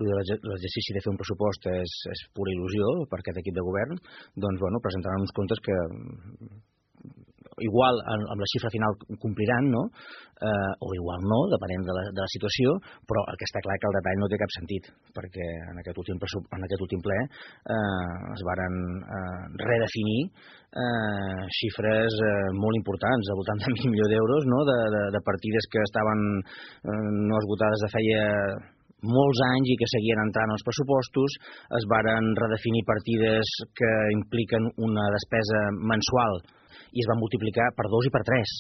l'exercici de fer un pressupost és pura il·lusió per aquest equip de govern, doncs presentaran uns comptes que igual amb la xifra final compliran, no? O igual no, depenent de la situació, però el que està clar que el detall no té cap sentit, perquè en aquest últim ple es varen redefinir xifres molt importants, al voltant de 1.000 milió d'euros, no? De partides que estaven no esgotades de feia molts anys i que seguien entrant als pressupostos. Es varen redefinir partides que impliquen una despesa mensual i es van multiplicar per 2 i per 3.